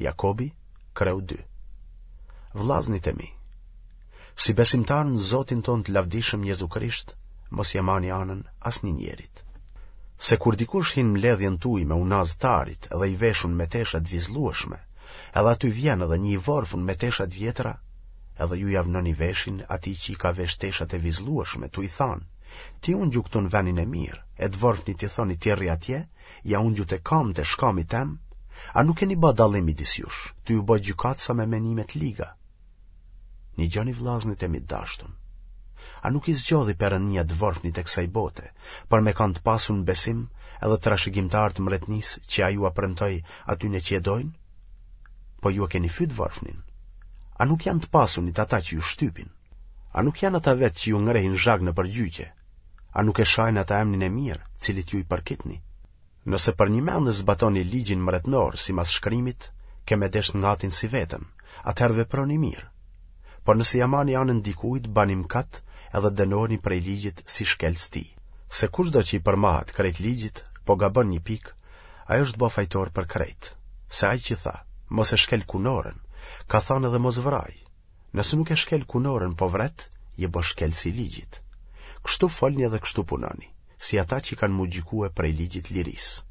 Jakobi, kreu 2. Vllaznit e mi, si besimtarë në Zotin tonë të lavdishëm Jezu Krisht, mos ia mani anën asnjë njerit. Se kur dikush hin n'mbledhjen tuj me unazë t'arit dhe i veshun me tesha të vizllueshme, edhe aty vjen edhe një i vorfun me tesha të vjetra, edhe ju ia vnoni veshin atij që i ka vesh teshat e vizllueshme, tuj thanë, ti ungju këtu në venin e mirë, e të vorfnit i thoni ti rri atje, ja ungju te kamët e shkamit tem, a nuk keni ba dallim midis jush, tuj u ba gjykatësa me menime të liga? Nigjoni vllaznit e mi të dashtun. A nuk i zgjodhi Perënia të vorfnit e kësaj bote, për me kanë të pasun në besim edhe trashëgimtarë të mretnisë që ai ua premtoi atyne që e dojnë? Po ju e keni fy të vorfnin. A nuk janë të pasunit ata që ju shtypin? A nuk janë ata vetë që ju ngrehin zhag nëpër gjyqe? A nuk e shajnë ata emnin e mirë, cilit ju i përkitni? Nëse përnjëmend e zbatoni ligjin mretnor simas shkrimit, ke me deshtë ngatin si veten, atëherë veproni mirë. Por nëse ia mani anën dikujt, bani mëkat edhe dënoheni prej ligjit si shkelës tij. Se kushdo që i përmahet krejt ligjit, po gabon një pikë, ai është ba fajtor për krejt. Se ai që tha, mos e shkel kunorën, ka thanë edhe mos vraj. Nëse nuk e shkel kunorën po vret, je bo shkelës i ligjit. Kështu folni edhe kështu punoni, si ata që kanë m'u gjykue prej ligjit lirisë.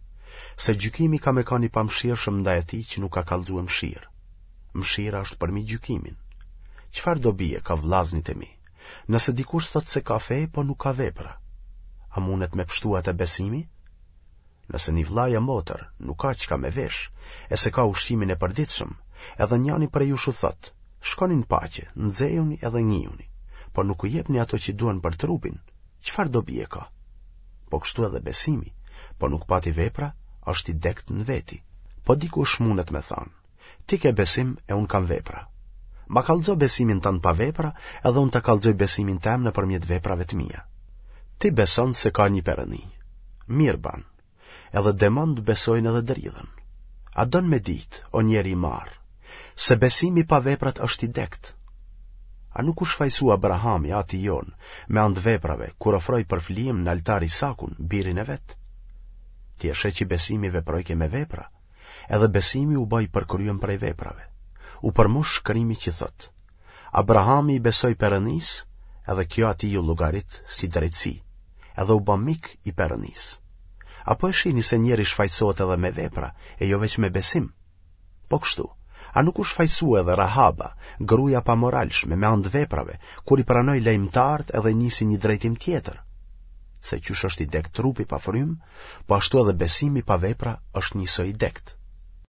Se gjykimi ka me kanë i pamëshirshëm ndaj atij që nuk ka kallxue mëshirë. Mëshira është përmi gjykimin. Çfarë dobie ka vllaznit e mi, nëse dikush thotë se ka fe, po nuk ka vepra? A mundet me pshtu atë besimi? Nëse një vlla a motër nuk ka çka me vesh, e s'e ka ushqimin e përditshëm, edhe njani prej jush u thotë, shkoni në paqe, nxehuni edhe ngihuni, por nuk u jepni ato që duhen për trupin, çfarë dobie ka? Po kështu edhe besimi, po nuk pati vepra, është i dekt në veti. Po dikush mundet me thanë, ti ke besim e unë kam vepra. Ma kallxo besimin tënd pa vepra, edhe unë ta kallxoj besimin tem nëpërmjet veprave të mia. Ti beson se ka një Perëndi. Mirë ban. Edhe demonët besojnë edhe dridhen. A don me ditë, o njeri i marrë, se besimi pa veprat është i dekt? A nuk u shfajësua Abrahami, ati jonë, me anë të veprave, kur ofroi për flijim në altar Isakun, birin e vet? Ti e sheh që besimi veprojke me vepra, Edhe besimi u ba i përkryem prej veprave. U përmush shkrimi që thotë, Abrahami i besoi Perëndisë, edhe kjo atij iu llogarit si drejtësi, edhe u ba mik i Perëndisë. A po e shihni se njeri shfajësohet edhe me vepra, e jo veç me besim? Po kështu, a nuk u shfajësua edhe Rahaba, gruaja e pamoralshme me anë të veprave, kur i pranoi lajmëtarët edhe nisi një drejtim tjetër? Se qysh është i dekt trupi pa frymë, po ashtu edhe besimi pa vepra është njësoj i dekt.